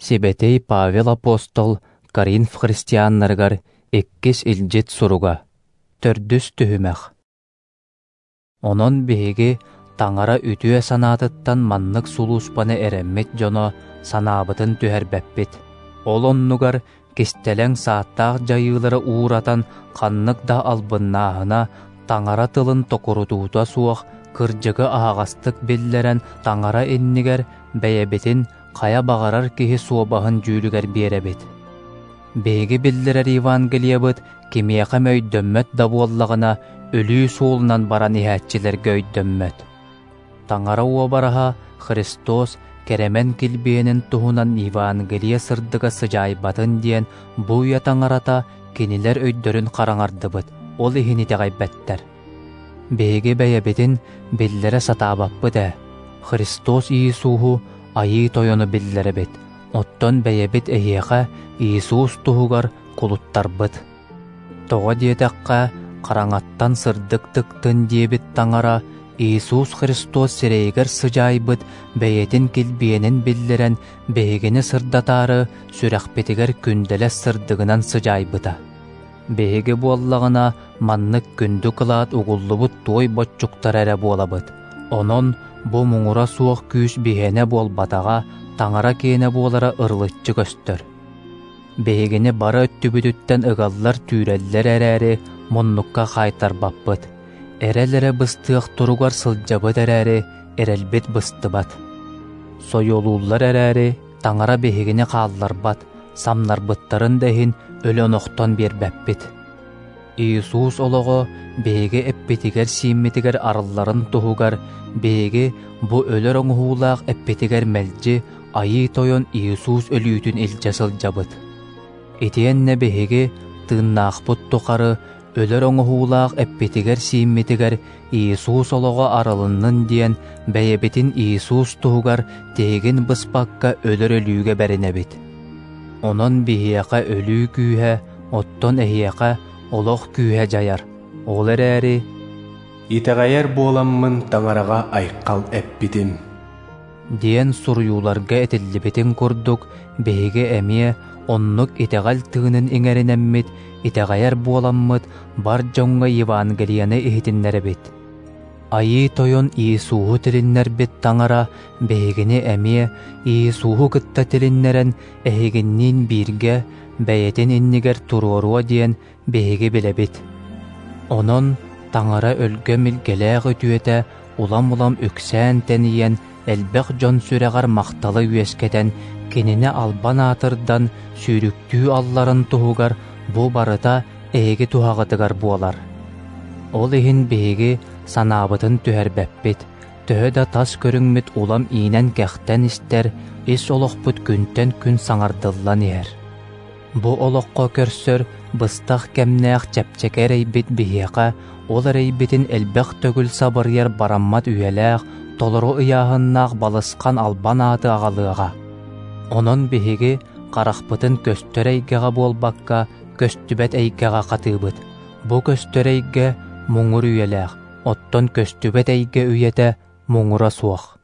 Сибэтиэй Павел апостол Коринф христианнарыгар иккис илдьит суруга. Төрдүс түһүмэх. Онон биһиги Таҥара үтүө санаатыттан маннык сулууспаны эрэммит дьоно санаабытын түһэрбэппит. Ол оннугар кистэлэҥ сааттаах дьайыылары ууратан ханнык да албыннааһына, Таҥара тылын токурутуута суох кырдьыгы аһаҕастык биллэрэн Таҥара иннигэр бэйэбитин хайа баҕарар киһи суобаһын дьүүлүгэр биэрэбит. Биһиги биллэрэр Евангелиебыт кимиэхэ эмэ өйдөммөт да буоллаҕына, өлүү суолунан баран иһээччилэргэ өйдөммөт. Таҥара уобараһа Христос кэрэмэн килбиэнин туһунан Евангелие сырдыга сыдьаайбатын диэн бу үйэ таҥарата кинилэр өйдөрүн хараҥардыбыт, ол иһин итэҕэйбэттэр. Биһиги бэйэбитин биллэрэ сатаабаппыт ээ. Христос Иисуһу Айыы Тойону биллэрэбит, оттон бэйэбит эһиэхэ Иисус туһугар кулуттарбыт. Тоҕо диэтэххэ, хараҥаттан сырдык тыктын диэбит Таҥара Иисус Христос сирэйигэр сыдьаайбыт бэйэтин килбиэнин биллэрэн биһигини сырдатаары сүрэхпитигэр күндэлэс сырдыгынан сыдьаайбыта. Биһиги буоллаҕына маннык күндү кылаат угуллубут туой боччуктара эрэ буолабыт. Онон бу муҥура суох күүс биһиэнэ буолбатаҕа, Таҥара киэнэ буолара ырылыччы көстөр. Биһигини бары өттүбүтүттэн ыгаллар-түүрэллэр эрээри, муннукка хаайтарбаппыт. Эрэл эрэ быстыах туругар сылдьабыт эрээри, эрэлбит быстыбат. Сойуолууллар эрээри, Таҥара биһигини хаалларбат, самнарбыттарын да иһин өлөн охтон биэрбэппит. Иисус олоҕо биһиги эппитигэр-сииммитигэр арылларын туһугар биһиги бу өлөр оҥоһуулаах эппитигэр мэлдьи Айыы Тойон Иисус өлүүтүн илдьэ сылдьабыт. Итиэннэ биһиги тыыннаахпыт тухары өлөр оҥоһуулаах эппитигэр-сииммитигэр Иисус олоҕо арылыннын диэн бэйэбитин Иисус туһугар тиһигин быспакка өлөр өлүүгэ бэринэбит. Онон биһиэхэ өлүү күүһэ, оттон эһиэхэ олох күүһэ дьайар. Ол эрээри «Итэҕэйэр буоламмын Таҥараҕа айхал эппитим» диэн суруйууларга этиллибитин курдук, биһиги эмиэ оннук итэҕэл тыынын иҥэринэммит, итэҕэйэр буоламмыт, бар дьоҥҥо Евангелиены иһитиннэрэбит. Айыы Тойон Иисуһу тилиннэрбит Таҥара биһигини эмиэ Иисуһу кытта тилиннэрэн эһигинниин бииргэ бэйэтин иннигэр туруоруо диэн биһиги билэбит. Онон Таҥара өлгөм илгэлээх үтүөтэ улам-улам үксээн-тэнийэн элбэх дьон сүрэҕэр махталы үөскэтэн, кинини албан аатырдан сүүрүктүү алларын туһугар бу барыта эһиги туһаҕытыгар буолар. Ол иһин биһиги санаабытын түһэрбэппит, төһө да тас көрүҥмүт улам иинэн-кэхтэн истэр, ис олохпут күнтэн күн саҥардыллан иһэр. Бу олоххо көрсөр быстах кэмнээх чэпчэки эрэйбит биһиэхэ ол эрэйбитин элбэх төгүл сабырыйар бараммат үйэлээх, толору ыйааһыннаах балысхан албан ааты аҕалыаҕа. Онон биһиги харахпытын көстөр эйгэҕэ буолбакка, көстүбэт эйгэҕэ хатыыбыт. Бу көстөр эйгэ муҥур үйэлээх, оттон көстүбэт эйгэ үйэтэ муҥура суох.